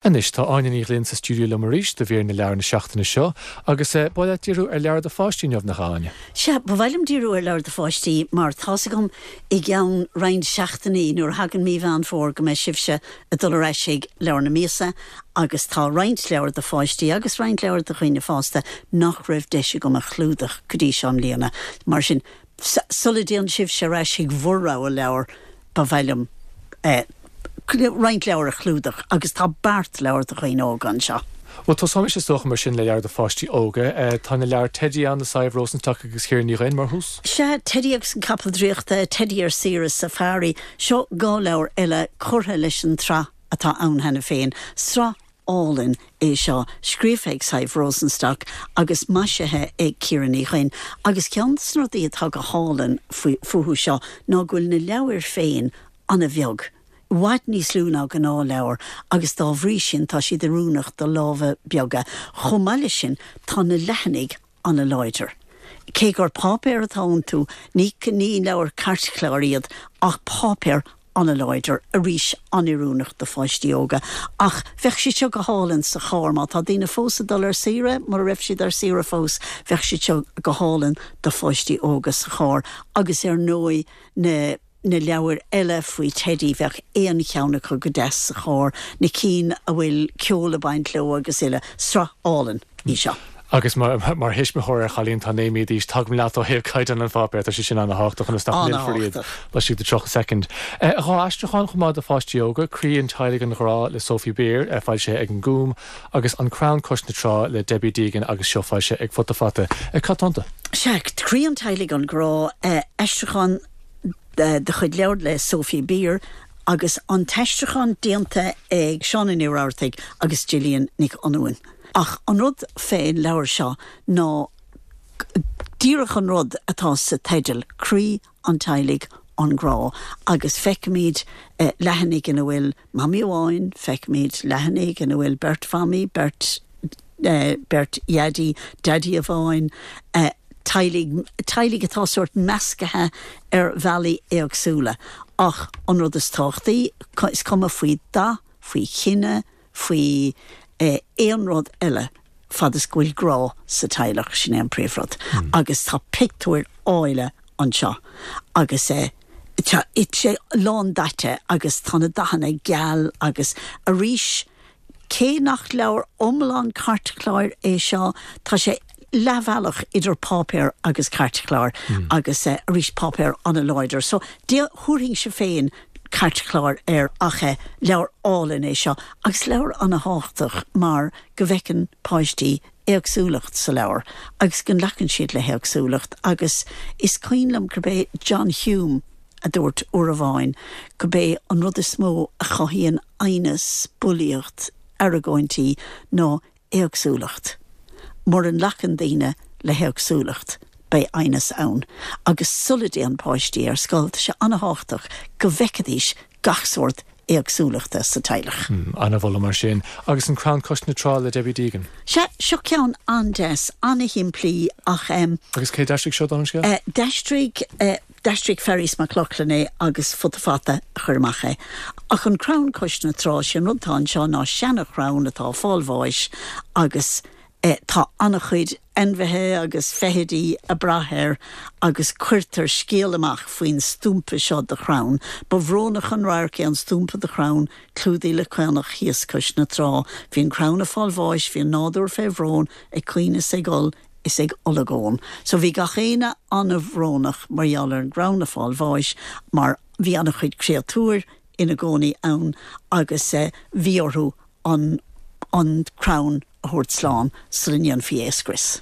Anois, tá Áine Ní Ghlinn sa stiúideo liom arís do mhír na leabhar na seachtaine seo, agus ba mhaith leat díriú ar leabhar do pháistí inniu, nach ea, Áine? Sea, ba mhaith liom díriú ar leabhar do pháistí mar tá's agam i gceann roinnt seachtainí, nuair a thagann mí Mheán Fómhair, go mbeidh sibhse ag dul ar ais ag Leabhar na Míosa agus tá roinnt leabhar do pháistí agus roinnt leabhar do dhaoine fásta nach raibh deis agam a chlúdach go dtí seo i mbliana. Mar sin, Sula dtéann sibhse ar ais chuig bhur rogha leabhar, ba mhaith liom roinnt leabhar a chlúdach agus tá beart leabhar do dhaoine óga anseo. Bhuel, tosóimis is dócha mar sin le leabhar do pháistí óga. Tá na leabhair Teidí ann le Sadhbh Rosenstock agus Ciara Ní Dhuinn mar thús. Sea, Teidí agus an Capall Draíochta, Teidí ar Saoire Safari. Seo 2 leabhar eile curtha leis an tsraith atá ann cheana féin, sraith álainn é seo, scríofa ag Sadhbh Rosenstock agus maisithe ag Ciara Ní Dhuinn. Agus ceann de na rudaí atá go hálainn fúthu seo ná go bhfuil na leabhair féin an-bheag, i bhfad níos lú ná gnáthleabhar, agus dá bhrí sin tá siad oiriúnach do lámha beaga. Chomh maith leis sin, tá na leathanaigh an-láidir. Cé gur páipéar atá iontu, ní ní leabhair cairtchláir iad, ach páipéar an-láidir, arís an-oiriúnach do pháistí óga. Ach bheadh siad seo go hálainn sa charr, má tá daoine fós ag dul ar saoire, mura raibh siad ar saoire fós, bheadh siad seo go hálainn do pháistí óga sa charr. Agus ar ndóigh na. na leabhair eile faoi Teidí, bheadh aon cheann acu go deas sa charr, na cinn a bhfuil ceol ag baint leo agus uile. Sraith álainn í seo. Agus mar thuismitheoir ar chailín atá 9 mí d'aois, tagaim leat ó thaobh caighdeán an pháipéir, tá sé sin an-thábhachtach ionas nach millfear iad laistigh de 30 soicind. Dhá aistriúchán chomh maith do pháistí óga, Croí an Teaghlaigh an Ghrá le Sophie Beer, foilsithe ag an Gúm, agus An Crann Cois na Trá le Debbie Deegan agus seo foilsithe ag Futa Fata. Cad tá iontu? Sea, Croí an Teaghlaigh an Grá, aistriúchán de chuid leabhar le Sophie Beer agus an t-aistriúchán déanta ag Shauna Ní Rabhartaigh agus Gillian Nic Fhionnghain. Ach an rud fén leabhar seo ná díreach an rud atá sa teideal, Croí an Teaghlaigh, an Grá, agus feicimid leathanaigh ina bhfuil mamaí amháin, feicimid leathanaigh ina bhfuil beirt mhamaí, beirt beirt dhaidí, daidí amháin, teaghlaigh, teaghlaigh atá sórt meascaithe ar bhealaí éagsúla. Ach an rud is tábhachtaí, is cuma faoi dath, faoi chine, faoi aon rud eile, fad is go bhfuil grá sa teaghlach, sin é an príomhrud. Agus tá pictiúir áille anseo agus tá sé lándaite agus tá na dathanna geal agus arís, Cé nach leabhar iomlán cairtchláir é seo, tá sé leathbhealach idir páipéar agus cairtchlár agus arís páipéar an-láidir. So thabharfainnse féin cairtchlár air ach leabhar álainn é seo agus leabhar an-thábhachtach mar go bhfeiceann páistí éagsúlacht sa leabhar agus go nglacann siad le héagsúlacht agus is cuimhin liom gurb é John Hume a dúirt uair amháin gurb é an rud is mó a chothaíonn aighneas, bulaíocht, argóintí ná éagsúlacht. Mura nglacann daoine le héagsúlacht, beidh aighneas ann. Agus sula dtéann páistí ar scoil, tá sé an-thábhachtach go bhfeicfidís gach sórt éagsúlachta sa teaghlach. An-mholadh mar sin. Agus An Crann Cois na Trá le Debbie Deegan. Sea, seo ceann an-deas, an-shimplí ach. Agus cé d'aistrigh seo don scéal? D'aistrigh. D'aistrigh Fearghas Mac Lochlainn é agus Futa Fata a chuir amach é. Ach an crann cois na trá, sé an rud atá anseo ná seana-chrann atá ag fáil bháis agus tá an-chuid ainmhithe agus feithidí ag brath air agus cuirtear scéal amach faoin stúmpa seo de chrann. Ba bhrónach an radharc é an stúmpa de chrann clúdaithe le caonach thíos cois na trá. Bhí an crann ag fáil bháis, bhí an nádúr fé bhrón, ag caoineadh is ag gol, is ag olagón. So bhí gach éinne an-bhrónach mar gheall ar an gcrann ag fáil bháis mar bhí an-chuid créatúir ina gcónaí ann agus bhí orthu an an crann a thabhairt slán sula ndéanfaí é a scrios.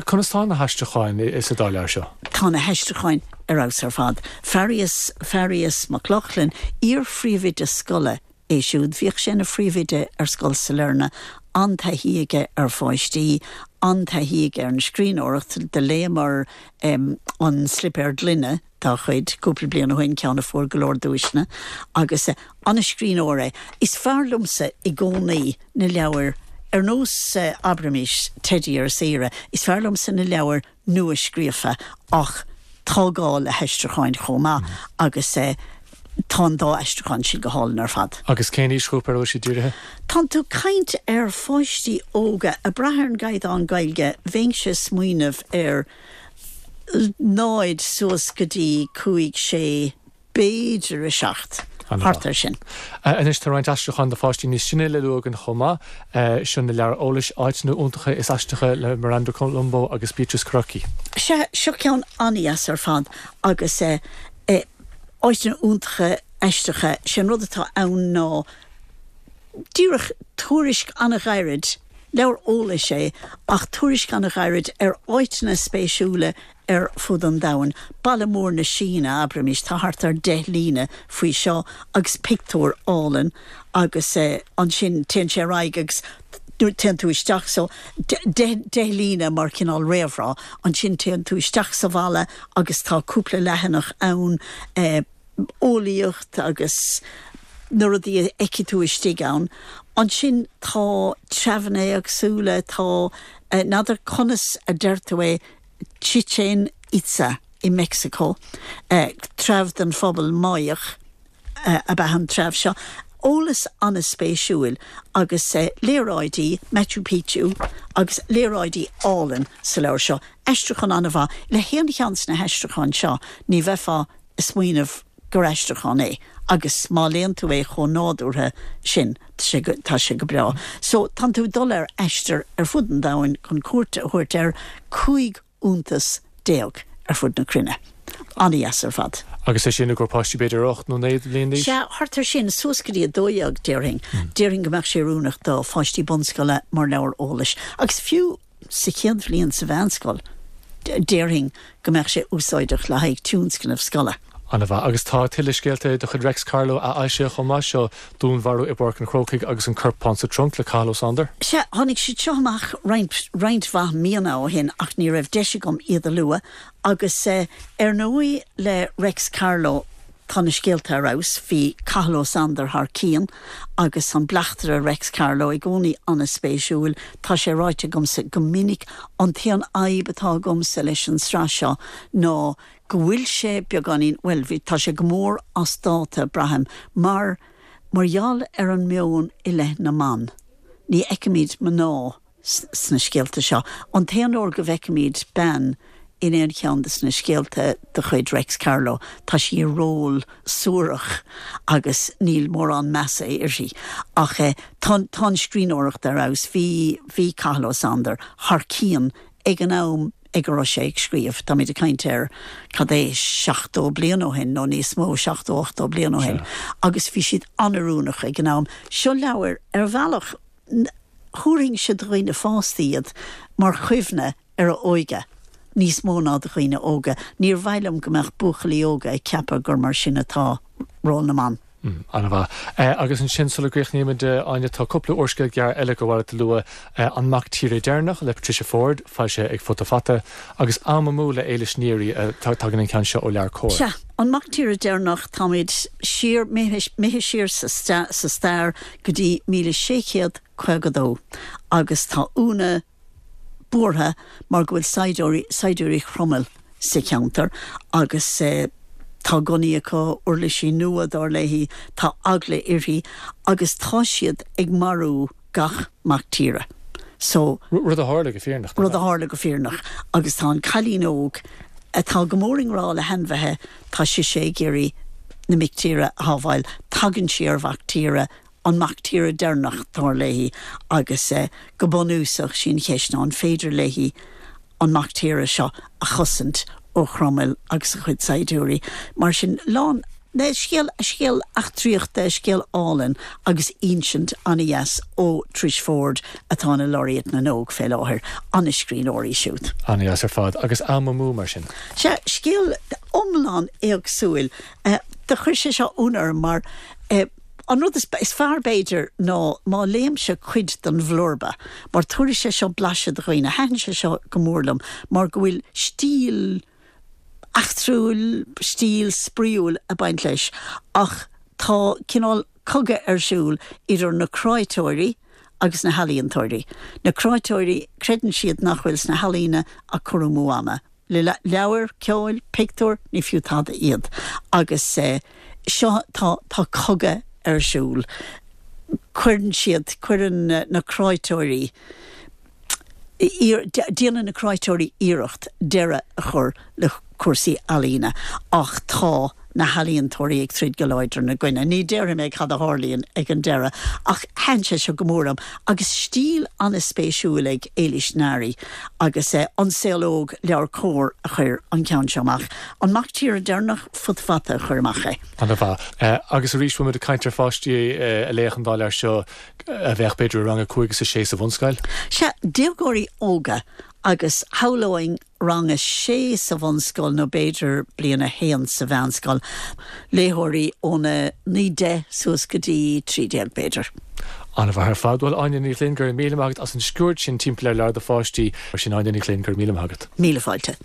Conas tá na haistriúcháin sa dá leabhar seo? Tá na haistriúcháin ar fheabhas ar fad. Fearghas Fearghas Mac Lochlainn, iar-phríomhoide scoile é siúd. Bhíodh sé ina phríomhoide ar Scoil Sailearna, an-taithí aige ar pháistí, an-taithí aige ar an scríbhneoireacht. Do léamar An Slipéar Gloine dá chuid cúpla bliain ó shin, ceann a fuair go leor duaiseanna, agus an-scríbhneoir é. Is fearr liomsa i gcónaí na leabhair ar nós, abraimis, Teidí ar Saoire, is fearr liomsa na leabhair nua-scríofa ach tá gá le haistriúcháin chomh maith agus. Tá an dá aistriúchán sin go hálainn ar fad. Agus cén aoisghrúpa ar a bhfuil siad dírithe? Tánn tú caint ar pháistí óga, ag brath ar an gcaighdeán Gaeilge, bheinnse ag smaoineamh ar 0 suas go dtí 5, 6, b'fhéidir 7, thart ar sin. Anois tá roinnt aistriúchán do pháistí níos sine le lua againn chomh maith. Seo na leabhair eolais, Áiteanna Iontacha is Aisteacha le Miranda Colombo agus Beatrice Carocci. Sea, seo ceann an-dheas ar fad agus áiteanna iontacha aisteacha. Sé an rud atá ann ná díreach tuairisc an-ghairid, leabhar eolais é, ach tuairisc an-ghairid ar áiteanna spéisiúla ar fud an domhain. Baile mór na Síne, abraimis, tá thart ar 10 líne faoi seo agus pictiúr álainn agus ansin téann sé ar aghaidh agus téann tú isteach so 10 líne mar chineál réamhrá, ansin téann tú isteach sa bhaile agus tá cúpla leathanach ann, eolaíocht agus na rudaí a fheicfidh tú istigh ann. Ansin tá treabhanna éagsúla, tá, n'fheadar conas a deir tú é, Chichén Itza i Meicsiceo, treabh den phobal Máigheach ab ea an treabh seo. Eolas an-spéisiúil agus léaráidí, Machu Picchu, agus léaráidí álainn sa leabhar seo. Aistriúchán an-mhaith. Le haon cheann de na haistriúcháin seo ní bheifeá ag smaoineamh gur aistriúchán é agus má léann tú é chomh nádúrtha sin, tá sé go breá. So, tánn tú ag dul ar aistear ar fud an domhain chun cuairt a thabhairt ar 15 iontas ar fud na cruinne. An-dheas ar fad. Agus é sin i gcomhair páistí b'fhéidir 8 nó 9 bliain d'aois? Sea, thart ar sin, suas go dtí 12 déarfainn. Déarfainn go mbeadh sé oiriúnach do pháistí bunscoile mar leabhar eolais. Agus fiú sa chéad bhliain sa mheánscoil, déarfainn go mbeadh sé úsáideach le haghaidh tionscnamh scoile. An-mhaith. Agus tá tuilleadh scéalta de chuid Reics Carló athfhoilsithe chomh maith, seo Dúnmharú i bPáirc an Chrócaigh agus An Corpán sa Trunc le Cathal Ó Sándair. Sea, tháinig siad seo amach roinnt, roinnt mhaith míonna ó shin ach ní raibh deis agam iad a lua. Agus ar ndóigh le Reics Carló, Tá na scéalta ar fheabhas. Bhí Cathal Ó Sándair thar cionn agus an bleachtaire Reics Carló i gcónaí an-spéisiúil. Tá sé ráite agamsa go minic, an t-aon fhadhb atá agamsa leis an sraith seo ná go bhfuil sé beagáinín, bhuel, bhí, tá sé go mór as dáta, braithim, mar, mar gheall ar an meon i leith na mban. Ní fheicimid mná. sna scéalta seo. An t-aon uair go bhfeicimid bean in aon cheann de na scéalta de chuid Reics Carló, tá sí i ról suarach agus níl mórán measa uirthi. Ach tá tá an scríbhneoireacht ar fheabhas. Bhí bhí Cathal Ó Sándair thar cionn ag an am ag a raibh sé ag scríobh. Táimid ag caint ar, cad é, 70 bliain ó shin nó níos mó, 70, 80 bliain ó shin. Agus bhí siad an-oiriúnach ag an am. Seo leabhair, ar bhealach, Thabharfainnse do dhaoine fásta iad mar chuimhne ar a óige, níos mó ná do dhaoine óga. Níor mhaith liom go mbeadh buachaillí óga ag ceapadh gur mar sin atá ról na mban. An-mhaith. Agus ansin, sula gcríochnaímid, Áine, tá cúpla úrscéal gearr eile gur mhaith leat a lua, An Mac Tíre Deireanach le Patricia Forde, foilsithe ag Futa Fata, agus Am Amú le Éilis Neary, tagann an ceann seo ó LeabhairCOMHAR. Sea, An Mac Tíre Deireanach, táimid siar, imithe siar sa stair go dtí 1652 agus tá Úna buartha mar go bhfuil saighdiúirí, saighdiúirí Chromail sa cheantar agus tá gunnaí acu, uirlisí nua dar léi, tá eagla uirthi agus tá siad ag marú gach mac tíre. So. Rud a tharla go fírinneach. Rud a tharla go fírinneach agus tá an cailín óg atá go mór i ngrá le hainmhithe, tá sise ag iarraidh na mic tíre a shábháil. Tagann sí ar mhac tíre, an mac tíre deireanach, dar léi, agus go bunúsach, sí an cheist ná an féidir léi an mac tíre seo a chosaint ó Chromail agus a chuid saighdiúirí. Mar sin, lán, scéal, scéal eachtraíochta, scéal álainn agus insint an-dheas ó Trish Forde atá ina Laureate na nÓg fé láthair. An-scríbhneoir í siúd. An-dheas ar fad. Agus Am Amú, mar sin? Sea, scéal iomlán éagsúil. Do chuir sé seo ionadh orm mar An rud is fearr, b'fhéidir, ná má léimse cuid den bhlurba, mar tabharfaidh sé seo blaiseadh do dhaoine. Thaitin sé seo go mór liom mar go bhfuil stíl eachtrúil, stíl spraíúil ag baint leis, ach tá cineál cogadh ar siúl idir na cráiteoirí agus na healaíontóirí. Na cráiteoirí, creideann siad nach bhfuil sna healaíona ach cur amú ama. Le leabhair, ceoil, pictiúir, ní fiú tada iad. Agus. Seo, tá, tá cogadh ar siúl. Cuireann siad, cuireann na cráiteoirí, déanann na cráiteoirí iarracht deireadh a chur le cúrsaí ealaíne ach tá na healaíontóirí ag troid go láidir ina gcoinne. Ní déarfaidh mé cad a tharlaíonn ag an deireadh ach thaitin sé seo go mór liom agus stíl an-spéisiúil ag Éilís Nari agus An Saol Óg, LeabhairCOMHAR a chuir an ceann seo amach. An Mac Tíre Deireanach, Futa Fata a chuir amach é. An-mhaith. Agus arís, bhfuil muid ag caint ar pháistí a léifeadh an dá leabhar seo a bheadh b'fhéidir i rang a 5 is a 6 sa bhunscoil? Sea, déagóirí óga agus shamhlóinn rang a sé sa bhunscoil nó b'fhéidir bliain a haon sa mheánscoil, léitheoirí óna 9, 10 suas go dtí 13 b'fhéidir. An-mhaith ar fad. Bhuel, Áine Ní Ghlinn, go raibh míle maith agat as an sciuird sin timpeall ar leabhair do pháistí. Mar sin, Áine Ní Ghlinn, go raibh míle maith agat. Míle fáilte.